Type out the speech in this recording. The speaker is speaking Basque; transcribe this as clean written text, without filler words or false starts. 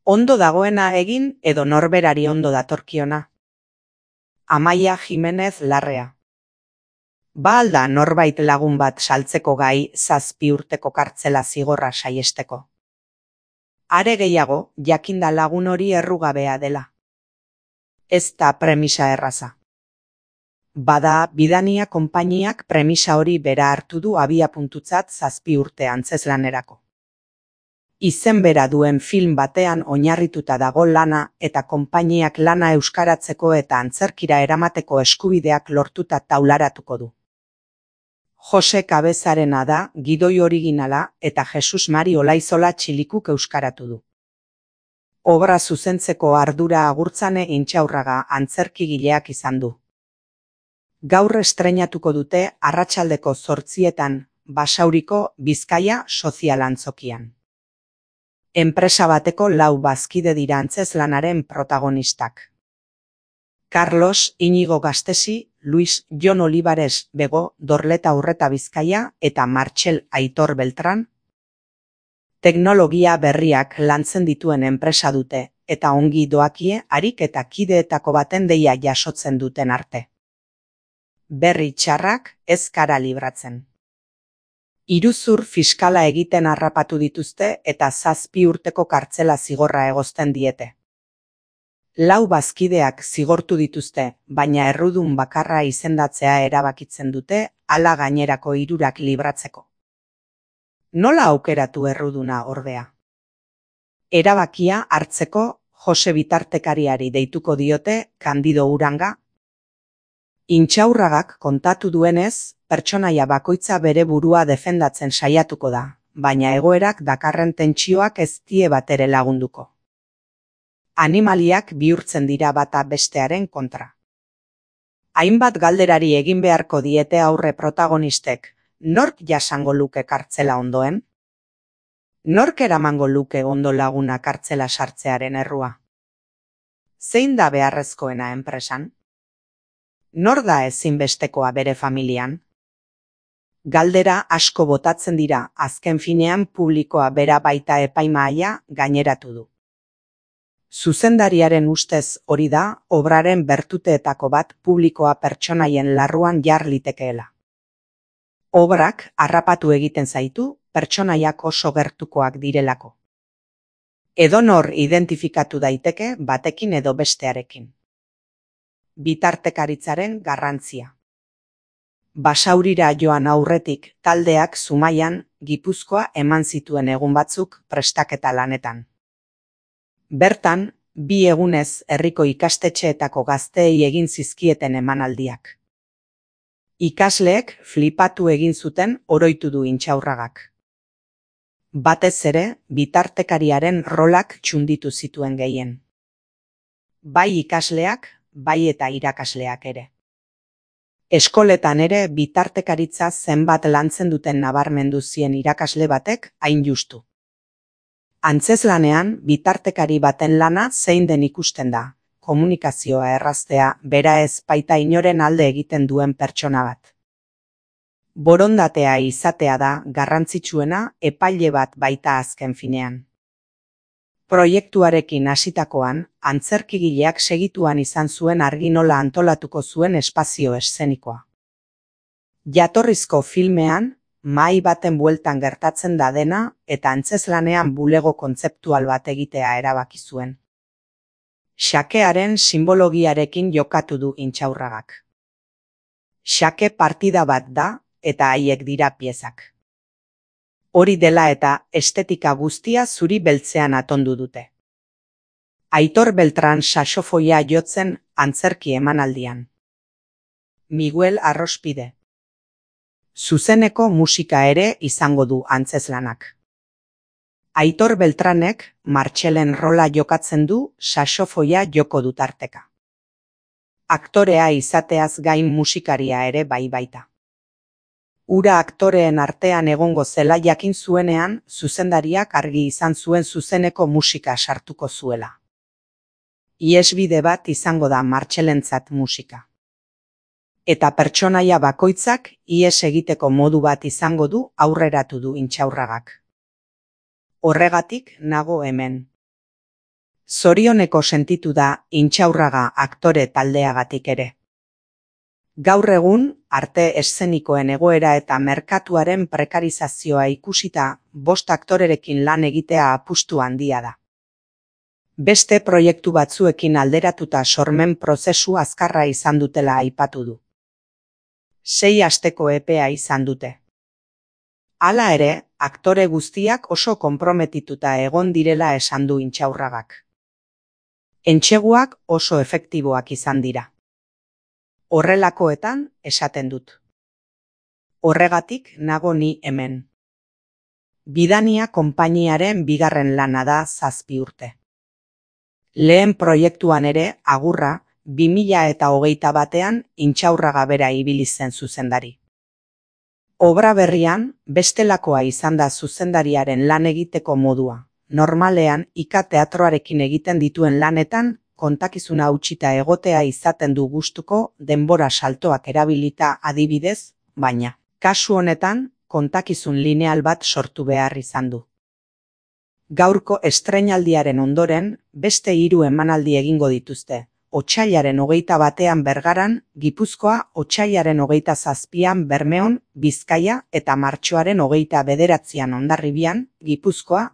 Ondo dagoena egin edo norberari ondo datorkiona. Amaia Jimenez Larrea. Ba al da norbait lagun bat saltzeko gai 7 urteko kartzela zigorra saiesteko? Are gehiago, jakinda lagun hori errugabea dela. Ez da premisa erraza. Bada, Bidania konpainiak premisa hori bera hartu du abiapuntutzat 7 urte antzeslanerako. Izen bera duen film batean oinarrituta dago lana eta konpainiak lana euskaratzeko eta antzerkira eramateko eskubideak lortuta taularatuko du. Jose Kabezarena da gidoi originala eta Jesus Mari Olaizola Txilikuk euskaratu du. Obra zuzentzeko ardura Agurtzane Intxaurraga antzerkigileak izan du. Gaur estreinatuko dute arratsaldeko 8:00 Basauriko Bizkaia sozialantzokian. Enpresa bateko 4 bazkide dira antzezlanaren protagonistak. Carlos Iñigo Gastesi, Luis Jon Olivares Bego Dorleta Urreta Bizkaia eta Martxel Aitor Beltran. Teknologia berriak lantzen dituen enpresa dute eta ongi doakie harik eta kideetako baten deia jasotzen duten arte. Berri txarrak ez kara libratzen. Iruzur fiskala egiten harrapatu dituzte eta 7 urteko kartzela zigorra egozten diete. 4 bazkideak zigortu dituzte, baina errudun bakarra izendatzea erabakitzen dute hala gainerako 3 libratzeko. Nola aukeratu erruduna ordea? Erabakia hartzeko Jose bitartekariari deituko diote Kandido Uranga. Intxaurragak kontatu duenez, pertsonaia bakoitza bere burua defendatzen saiatuko da, baina egoerak dakarren tentsioak ez die batere lagunduko. Animaliak bihurtzen dira bata bestearen kontra. Hainbat galderari egin beharko diete aurre protagonistek, nork jasango luke kartzela ondoen? Nork eramango luke ondo laguna kartzela sartzearen errua? Zein da beharrezkoena enpresan? Nor da ezinbestekoa bere familian? Galdera asko botatzen dira, azken finean publikoa bera baita epaimahaia gaineratu du. Zuzendariaren ustez hori da, obraren bertuteetako bat publikoa pertsonaien larruan jar litekeela. Obrak harrapatu egiten zaitu, pertsonaiak oso gertukoak direlako. Edonor identifikatu daiteke batekin edo bestearekin. Bitartekaritzaren garrantzia. Basaurira joan aurretik taldeak Zumaian, Gipuzkoa eman zituen egun batzuk prestaketa lanetan. Bertan, 2 egunez herriko ikastetxeetako gazteei egin zizkieten emanaldiak. Ikasleek flipatu egin zuten oroitu du Intxaurragak. Batez ere, bitartekariaren rolak txunditu zituen gehien. Bai ikasleak, bai eta irakasleak ere. Eskoletan ere bitartekaritza zenbat lantzen duten nabarmendu zien irakasle batek hain justu. Antzezlanean bitartekari baten lana zein den ikusten da, komunikazioa erraztea bera ez baita inoren alde egiten duen pertsona bat. Borondatea izatea da garrantzitsuena epaile bat baita azken finean. Proiektuarekin hasitakoan, antzerkigileak segituan izan zuen argi nola antolatuko zuen espazio eszenikoa. Jatorrizko filmean, mahai baten bueltan gertatzen da dena eta antzezlanean bulego kontzeptual bat egitea erabaki zuen. Xakearen sinbologiarekin jokatu du Intxaurragak. Xake partida bat da eta haiek dira piezak. Hori dela eta estetika guztia zuri beltzean atondu dute. Aitor Beltran saxofoia jotzen antzerki emanaldian. Miguel Arrospide. Zuzeneko musika ere izango du antzezlanak. Aitor Beltranek Martxelen rola jokatzen du saxofoia joko du tarteka. Aktorea izateaz gain musikaria ere bai baita. Ura aktoreen artean egongo zela jakin zuenean, zuzendariak argi izan zuen zuzeneko musika sartuko zuela. Iesbide bat izango da Martxelentzat musika. Eta pertsonaia bakoitzak ies egiteko modu bat izango du aurreratu du Intxaurragak. Horregatik nago hemen. Zorioneko sentitu da Intxaurraga aktore taldeagatik ere. Gaur egun, arte eszenikoen egoera eta merkatuaren prekarizazioa ikusita, 5 aktorerekin lan egitea apustu handia da. Beste proiektu batzuekin alderatuta sormen prozesu azkarra izan dutela aipatu du. 6 asteko epea izan dute. Hala ere, aktore guztiak oso konprometituta egon direla esan du Intxaurragak. Entseguak oso efektiboak izan dira. Horrelakoetan esaten dut. Horregatik nago ni hemen. Bidania konpainiaren bigarren lana da 7 urte. Lehen proiektuan ere, agurra, 2021ean Intxaurraga bera ibili zen zuzendari. Obra berrian, bestelakoa izan da zuzendariaren lan egiteko modua. Normalean, Ika teatroarekin egiten dituen lanetan, kontakizuna hautsita egotea izaten du gustuko denbora saltoak erabilita adibidez, baina, kasu honetan, kontakizun lineal bat sortu behar izan du. Gaurko estreinaldiaren ondoren, beste 3 emanaldi egingo dituzte. Otsailaren 21ean Bergaran, Gipuzkoa, otsailaren 27ean Bermeon, Bizkaia eta martxoaren 29ean Hondarribian, Gipuzkoa,